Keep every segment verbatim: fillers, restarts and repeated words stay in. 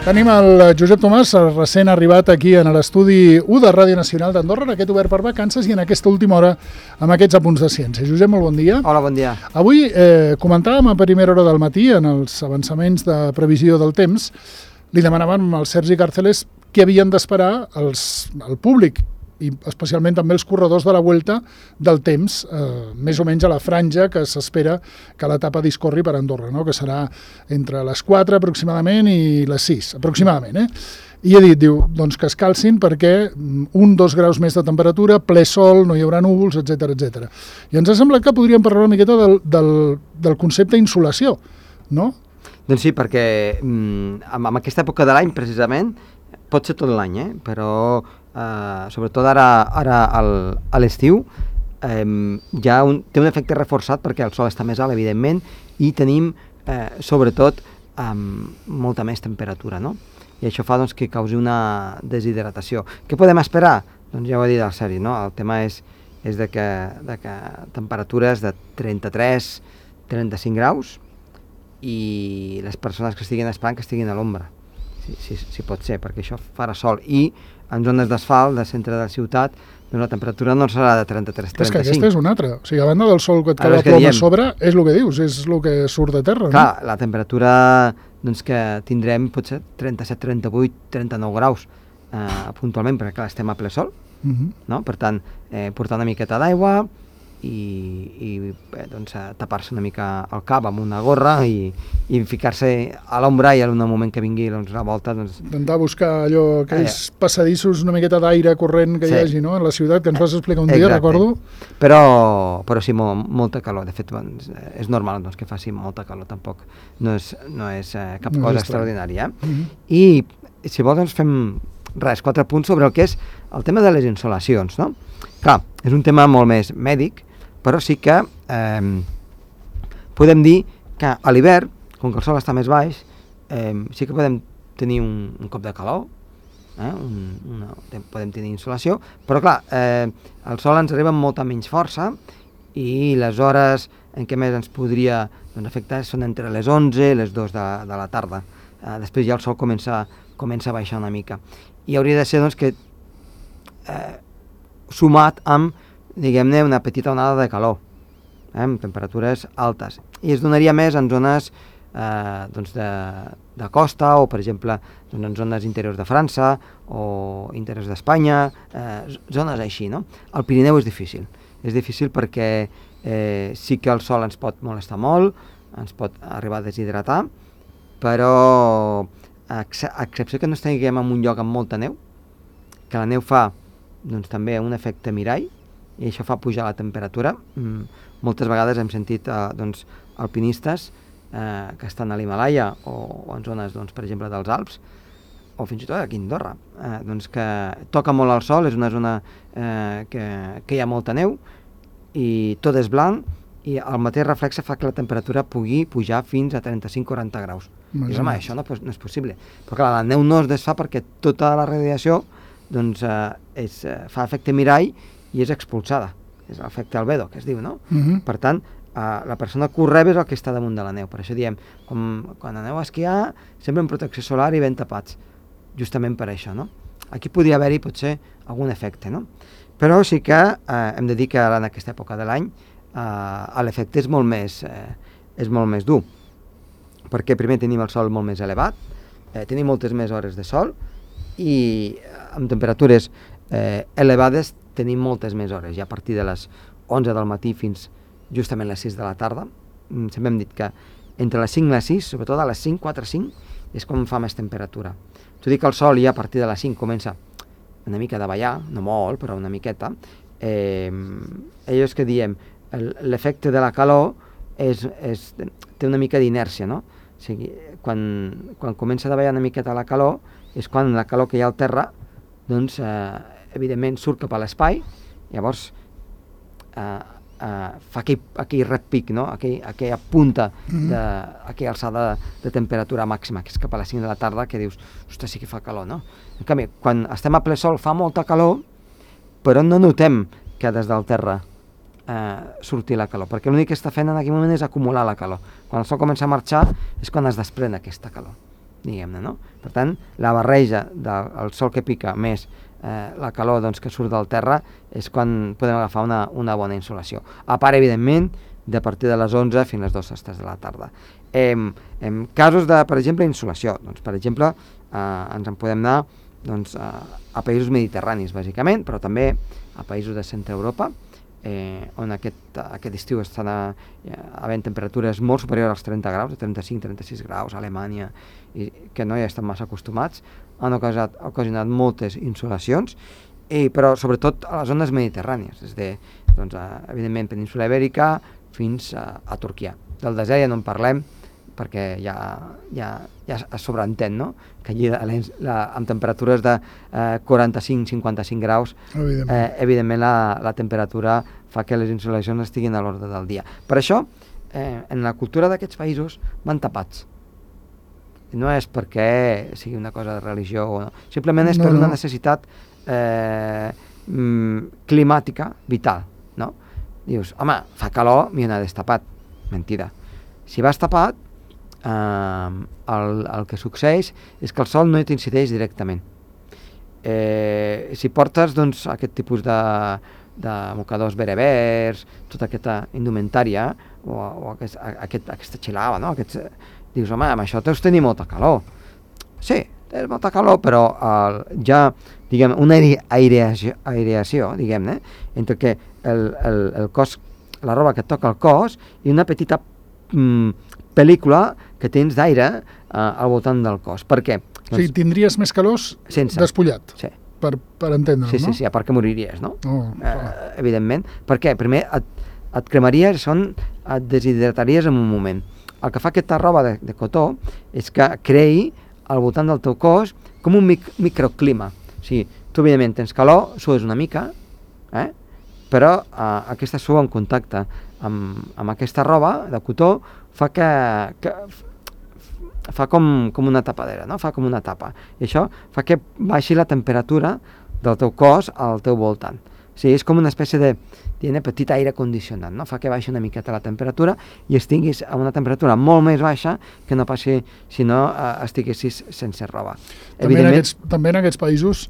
Tenim el Josep Tomàs, recent arribat aquí en l'estudi u de Ràdio Nacional d'Andorra, en aquest obert per vacances i en aquesta última hora amb aquests apunts de ciència. Josep, molt bon dia. Hola, bon dia. Avui eh, comentàvem a primera hora del matí, en els avançaments de previsió del temps, li demanàvem al Sergi Càrceles què havien d'esperar el públic i especialment també els corredors de la Vuelta del temps, eh, més o menys a la franja que s'espera que l'etapa discorri per Andorra, no? Que serà entre les quatre aproximadament i les sis, aproximadament. Eh? I he dit, diu, doncs que es calcin perquè un, dos graus més de temperatura, ple sol, no hi haurà núvols, etcètera, etcètera. I ens ha semblat que podríem parlar una miqueta del, del, del concepte insolació, no? Doncs sí, perquè mm, en aquesta època de l'any, precisament, pot ser tot l'any, eh? Però Uh, sobretot ara, ara al, a l'estiu um, ja un, té un efecte reforçat perquè el sol està més alt, evidentment, i tenim uh, sobretot um, molta més temperatura, no? I això fa doncs, que causi una deshidratació. Què podem esperar? Doncs ja ho ha dit el Sergi, no? El tema és, és de, que, de que temperatures de trenta-tres a trenta-cinc graus i les persones que estiguin esperant que estiguin a l'ombra. Si, si, si pot ser, perquè això farà sol. I en zones d'asfalt, de centre de la ciutat, doncs la temperatura no serà de trenta-tres a trenta-cinc. És que aquesta és una altra. O sigui, a banda del sol que et cau la ploma a sobre, és el que dius, és el que surt de terra. Clar, no? La temperatura doncs, que tindrem pot ser trenta-set, trenta-vuit, trenta-nou graus eh, puntualment, perquè clar, estem a ple sol. Uh-huh. No? Per tant, eh, portar una miqueta d'aigua i, i eh, doncs, tapar-se una mica el cap amb una gorra i, i ficar-se a l'ombra i en un moment que vingui doncs, la volta... Doncs... Intentar buscar allò, aquells eh, passadissos, una miqueta d'aire corrent que sí. Hi hagi, no?, en la ciutat, que ens vas explicar un dia, exacte. Recordo. Però, però sí, molt, molta calor. De fet, doncs, és normal doncs, que faci molta calor, tampoc. No és, no és eh, cap no cosa és extraordinària. Eh? Uh-huh. I, si vols, doncs fem res, quatre punts sobre el que és el tema de les insolacions, no? Clar, és un tema molt més mèdic, però sí que eh, podem dir que a l'hivern, com que el sol està més baix, eh, sí que podem tenir un, un cop de calor, eh, un, una, podem tenir insolació, però clar, eh, el sol ens arriba amb molta menys força i les hores en què més ens podria doncs, afectar són entre les onze i les dues de, de la tarda. Eh, després ja el sol comença, comença a baixar una mica. I hauria de ser doncs, que eh, sumat amb diguem-ne, una petita onada de calor, eh, amb temperatures altes. I es donaria més en zones eh, doncs de, de costa o, per exemple, doncs en zones interiors de França o interiors d'Espanya, eh, zones així, no? El Pirineu és difícil. És difícil perquè eh, sí que el sol ens pot molestar molt, ens pot arribar a deshidratar, però a excepció que no estiguem en un lloc amb molta neu, que la neu fa doncs, també un efecte mirall, i això fa pujar la temperatura. Mm, moltes vegades hem sentit eh, doncs, alpinistes eh, que estan a l'Himàlaia o, o en zones, doncs, per exemple, dels Alps, o fins i tot aquí a Andorra, eh, doncs que toca molt el sol, és una zona eh, que, que hi ha molta neu i tot és blanc i el mateix reflexe fa que la temperatura pugui pujar fins a trenta-cinc a quaranta graus. I home, això no, no és possible. Però clar, la neu no es desfà perquè tota la radiació doncs, eh, és, eh, fa efecte mirall i és expulsada, és l'efecte albedo, que es diu, no? Uh-huh. Per tant, eh, la persona que ho rep és el que està damunt de la neu. Per això diem, com, quan aneu a esquiar, sempre amb protecció solar i ben tapats, justament per això, no? Aquí podria haver-hi, potser, algun efecte, no? Però sí que eh, hem de dir que ara en aquesta època de l'any eh, l'efecte és molt més eh, és molt més dur, perquè primer tenim el sol molt més elevat, eh, tenim moltes més hores de sol i eh, amb temperatures eh, elevades tenim moltes més hores, ja a partir de les onze del matí fins justament les sis de la tarda. Sempre hem dit que entre les cinc i les sis, sobretot a les cinc, quatre, cinc, és quan fa més temperatura. T'ho dic que el sol ja a partir de les cinc comença una mica a davallar, no molt, però una miqueta. Eh, ells que diem, l'efecte de la calor és, és, té una mica d'inèrcia, no? O sigui, quan, quan comença a davallar una miqueta la calor, és quan la calor que hi ha al terra, doncs, eh, evidentment surt cap a l'espai, llavors eh, eh, fa aquell, aquell repic, no? aquell, aquella punta, de, aquella alçada de, de temperatura màxima, que és cap a les cinc de la tarda, que dius, ostres, sí que fa calor, no? En canvi, quan estem a ple sol fa molta calor, però no notem que des del terra eh, surti la calor, perquè l'únic que està fent en aquell moment és acumular la calor. Quan el sol comença a marxar és quan es desprèn aquesta calor. diguem-ne, no? Per tant, la barreja del sol que pica més eh, la calor doncs, que surt del terra és quan podem agafar una, una bona insolació. A part, evidentment, de partir de les onze fins a les dues de la tarda. En, en casos de, per exemple, insolació, doncs, per exemple, eh, ens en podem anar doncs, a, a països mediterranis, bàsicament, però també a països de centre Europa, eh, on aquest, aquest estiu estan a, a havent temperatures molt superiors als trenta graus, trenta-cinc trenta sis graus, a Alemanya, i que no hi estan massa acostumats, han ocasionat, ocasionat moltes insolacions, i, però sobretot a les zones mediterrànies, des de, doncs, a, evidentment, península Ibèrica fins a, a Turquia. Del desert ja no en parlem, perquè ja, ja, ja es sobreentén, no? Que allí la, la, amb temperatures de eh, quaranta-cinc cinquanta-cinc graus, evidentment, eh, evidentment la, la temperatura fa que les insolacions estiguin a l'ordre del dia. Per això, eh, en la cultura d'aquests països van tapats. No és perquè sigui una cosa de religió o no, simplement és no, per una no. necessitat eh, climàtica vital, no? Dius, home, fa calor, m'hi he destapat. Mentida. Si vas tapat, eh, el, el que succeeix és que el sol no t'incideix directament. Eh, si portes doncs, aquest tipus de, de mocadors berebers, tota aquesta indumentària, o, o aquest, aquest, aquesta xilava, no? Aquests, dius, home, amb això deus tenir molta calor. Sí, tens molta calor, però el, ja, diguem, una aireació, aireació diguem-ne, entre que el, el, el cos, la roba que et toca el cos i una petita mm, pel·lícula que tens d'aire eh, al voltant del cos. Per què? Doncs, o sigui, tindries més calor sense. Despullat, sí. per, per entendre'l, sí, no? Sí, sí, a part que moriries, no? Oh, eh, evidentment. Per què? Primer et, et cremaries, són, et deshidrataries en un moment. El que fa aquesta roba de, de cotó és que creï al voltant del teu cos com un mic, microclima. O sigui, tu evidentment tens calor, sues una mica, eh? però eh, aquesta suor en contacte amb, amb aquesta roba de cotó fa que, que fa com, com una tapadera, no? Fa com una tapa. I això fa que baixi la temperatura del teu cos al teu voltant. O sigui, és com una espècie de tiene petit aire condicionat, no? Fa que baixi una miqueta la temperatura i estiguis a una temperatura molt més baixa que no passi si no eh, estiguessis sense roba. També en, aquests, també en aquests països,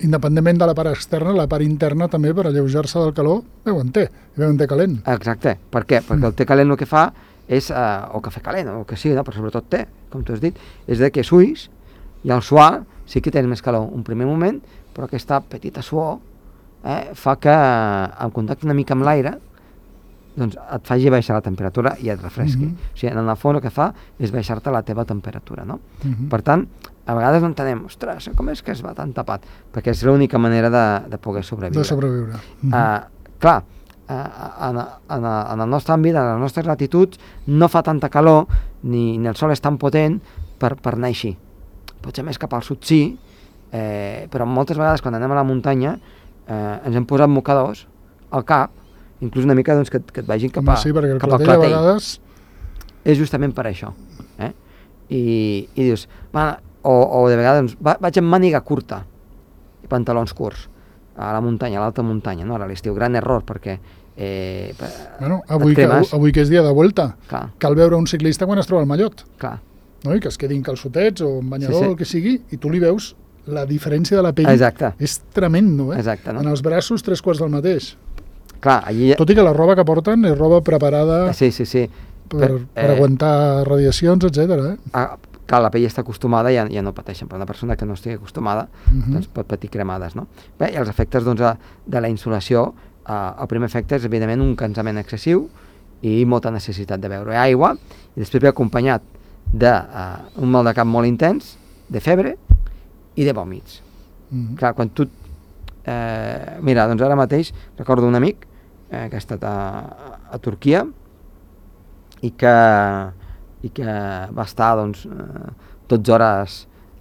independentment de la part externa, la part interna també, per alleujar-se del calor, veuen té, veuen té calent. Exacte. Per què? Perquè el té calent el que fa és, eh, o cafè calent, o el que sigui, no? Però sobretot té, com tu has dit, és de que suïs i al suar sí que tens més calor un primer moment, però aquesta petita suor eh, fa que en contacte una mica amb l'aire doncs et faci baixar la temperatura i et refresqui. Mm-hmm. O sigui, en el fons el que fa és baixar-te la teva temperatura, no? Mm-hmm. Per tant, a vegades no entenem, ostres, com és que es va tan tapat? Perquè és l'única manera de, de poder sobreviure. De sobreviure. Mm-hmm. Uh, clar, uh, en, en, en el nostre àmbit, en les nostres latituds, no fa tanta calor, ni, ni el sol és tan potent per, per anar així. Potser més cap al sud sí, eh, però moltes vegades quan anem a la muntanya eh, ens hem posat mocadors al cap, inclús una mica doncs, que, que et vagin cap, a, sí, perquè el cap al clatell. clatell. A vegades... És justament per això. Eh? I, i dius, va, o, o de vegades doncs, va, vaig amb màniga curta i pantalons curts a la muntanya, a l'alta muntanya, no? A l'estiu, gran error, perquè eh, bueno, avui, que, avui que és dia de vuelta, clar. Cal veure un ciclista quan es troba al mallot. Clar. No? I que es quedin calçotets o un banyador, sí, sí. El que sigui, i tu li veus la diferència de la pell. Exacte. És tremendo, eh? Exacte, no? En els braços, tres quarts del mateix. Clar, allí... Tot i que la roba que porten és roba preparada sí, sí, sí. per, per, per eh... aguantar radiacions, etcètera. Eh? Ah, clar, la pell està acostumada i ja, ja no pateixen, però una persona que no estigui acostumada uh-huh. doncs pot patir cremades, no? Bé, i els efectes doncs, de la insolació, eh, el primer efecte és evidentment un cansament excessiu i molta necessitat de beure aigua, i després ve acompanyat d'un uh, mal de cap molt intens, de febre i de vòmits. Uh-huh. Clar, quan tu... Eh, mira, doncs ara mateix recordo un amic eh, que ha estat a, a Turquia i que, i que va estar doncs, eh, dotze hores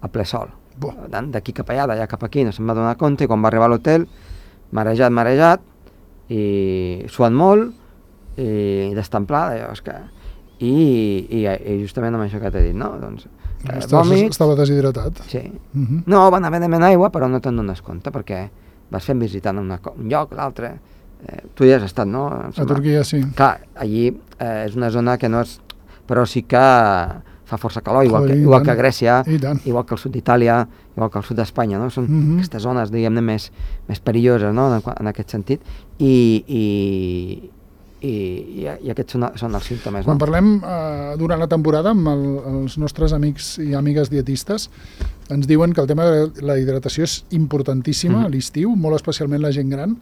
a ple sol. D'aquí cap allà, d'allà cap aquí, no se'n va donar compte, i quan va arribar a l'hotel, marejat, marejat, i suant molt, i destemplat, allò, és que... I, i, i justament amb això que t'he dit, no? Doncs, eh, vòmits... Estava deshidratat. Sí. Uh-huh. No, van haver de demanar aigua, però no te'n dones compte, perquè vas fent visitant una, un lloc, l'altre... Eh, tu ja has estat, no? A Turquia, sí. Clar, allí eh, és una zona que no és... Però sí que fa força calor, igual, que, igual que a Grècia, igual que al sud d'Itàlia, igual que al sud d'Espanya, no? Són mm-hmm. aquestes zones, diguem-ne, més, més perilloses, no? en, en aquest sentit, i, i, i, i aquests són, són els símptomes. Quan no? parlem eh, durant la temporada amb el, els nostres amics i amigues dietistes, ens diuen que el tema de la hidratació és importantíssima mm-hmm. a l'estiu, molt especialment la gent gran,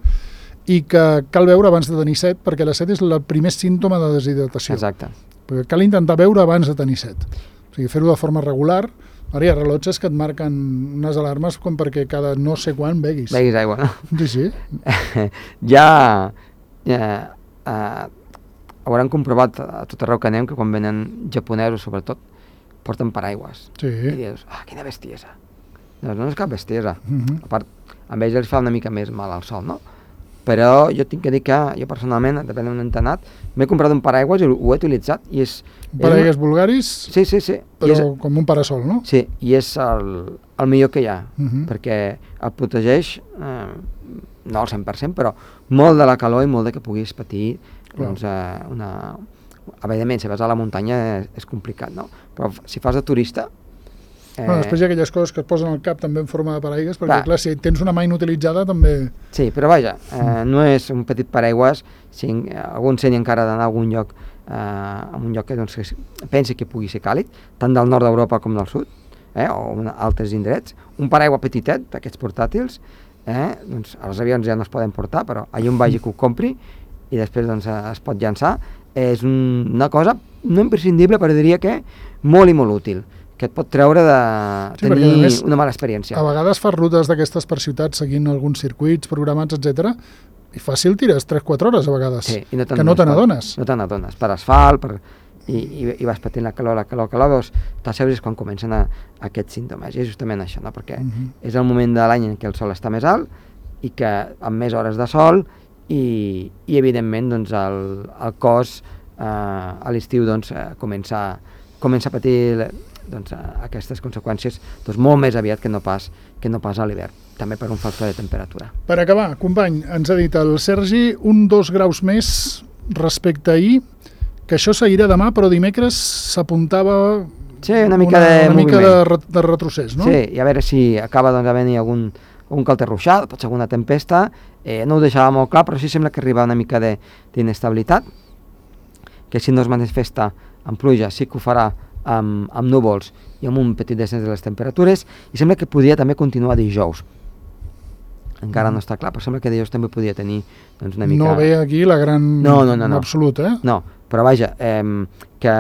i que cal beure abans de tenir set, perquè la set és el primer símptoma de deshidratació. Exacte. Perquè cal intentar beure abans de tenir set. O sigui, fer-ho de forma regular. Ara hi ha rellotges que et marquen unes alarmes com perquè cada no sé quan beguis. Beguis aigua, no? Sí, sí. ja, ja eh, hauran comprovat a tot arreu que anem que quan venen japonesos, sobretot, porten paraigües. Sí. I dius, ah, quina bestiesa. No, no és cap bestiesa. Uh-huh. A part, amb ells els fa una mica més mal al sol, no? Però jo tinc que dir que jo personalment, depèn d'on he anat, m'he comprat un paraigües i ho he utilitzat i és... Paraigües vulgaris, sí, sí, sí. però és, com un parasol, no? Sí, i és el, el millor que hi ha, uh-huh. perquè el protegeix, eh, no al cent per cent, però molt de la calor i molt de que puguis patir doncs, eh, una... Evidentment, si vas a la muntanya és, és complicat, no? Però si fas de turista... Eh... Bueno, després hi ha aquelles coses que et posen al cap també en forma de paraigües, perquè clar, clar si tens una mà inutilitzada també... Sí, però vaja, eh, no és un petit paraigües, si algú ensenya encara d'anar a algun lloc, eh, a un lloc que, doncs, que pensi que pugui ser càlid, tant del nord d'Europa com del sud, eh, o una, altres indrets, un paraigua petitet, d'aquests portàtils, eh, doncs els avions ja no es poden portar, però allà on vagi que ho compri i després doncs, es pot llançar, és un, una cosa no imprescindible, però diria que molt i molt útil, que et pot treure de sí, tenir més, una mala experiència. A vegades fas rutes d'aquestes per ciutats seguint alguns circuits programats, etcètera, i fàcil tires tres quatre hores a vegades, sí, i no que no te n'adones. No te n'adones, per asfalt, per, i, i, i vas patint la calor, la calor, la calor, veus, t'asseus és quan comencen a, aquests símptomes, i és justament això, no? Perquè uh-huh. és el moment de l'any en què el sol està més alt i que amb més hores de sol i, i evidentment doncs, el, el cos eh, a l'estiu doncs, eh, comença, comença a patir doncs, aquestes conseqüències doncs, molt més aviat que no pas, que no pas a l'hivern, també per un factor de temperatura. Per acabar, company, ens ha dit el Sergi un dos graus més respecte a ahir, que això seguirà demà, però dimecres s'apuntava sí, una mica, una, de, una mica de, de retrocés, no? Sí, i a veure si acaba doncs, havent-hi algun, algun calter ruixat, pot ser alguna tempesta, eh, no ho deixava molt clar, però sí sembla que arriba una mica d'inestabilitat, que si no es manifesta amb pluja sí que ho farà Amb, amb núvols i amb un petit descens de les temperatures, i sembla que podria també continuar dijous. Encara mm. no està clar, però sembla que dijous també podria tenir doncs, una mica... No ve aquí la gran no, no, no, no. absolut, eh? No, però vaja, eh, que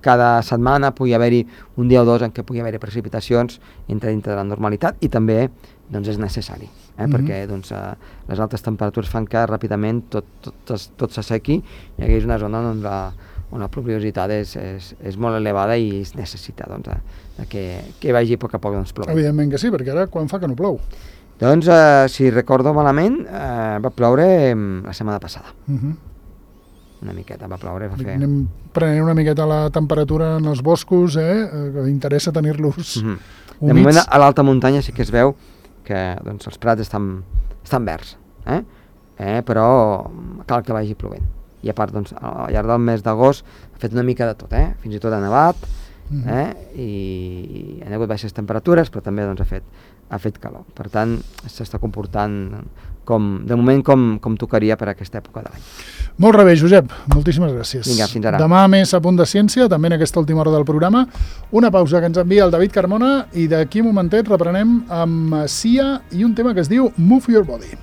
cada setmana pugui haver-hi un dia o dos en què pugui haver-hi precipitacions entre dintre de la normalitat, i també doncs, és necessari, eh? Mm-hmm. perquè doncs, eh, les altes temperatures fan que ràpidament tot, tot, tot s'assequi i hi hagués una zona on la on la pluviositat és, és, és molt elevada i es necessita doncs, de que, que vagi a poc a poc doncs, ploure. Evidentment que sí, perquè ara quan fa que no plou? Doncs, eh, si recordo malament, eh, va ploure la setmana passada. Uh-huh. Una miqueta va ploure. Va fer... Anem prenent una miqueta la temperatura en els boscos, eh? que interessa tenir-los uh-huh. humits. De moment, a l'alta muntanya sí que es veu que doncs, els prats estan, estan verds, eh? Eh, però cal que vagi plovent. I a part, doncs, al llarg del mes d'agost ha fet una mica de tot, eh? Fins i tot ha nevat, mm. eh? I, i han hagut baixes temperatures, però també doncs, ha, fet, ha fet calor. Per tant, s'està comportant com, de moment com, com tocaria per aquesta època de l'any. Molt bé, Josep, moltíssimes gràcies. Vinga, fins ara. Demà més a Punt de Ciència, també en aquesta última hora del programa. Una pausa que ens envia el David Carmona i d'aquí un momentet reprenem amb Sia i un tema que es diu Move Your Body.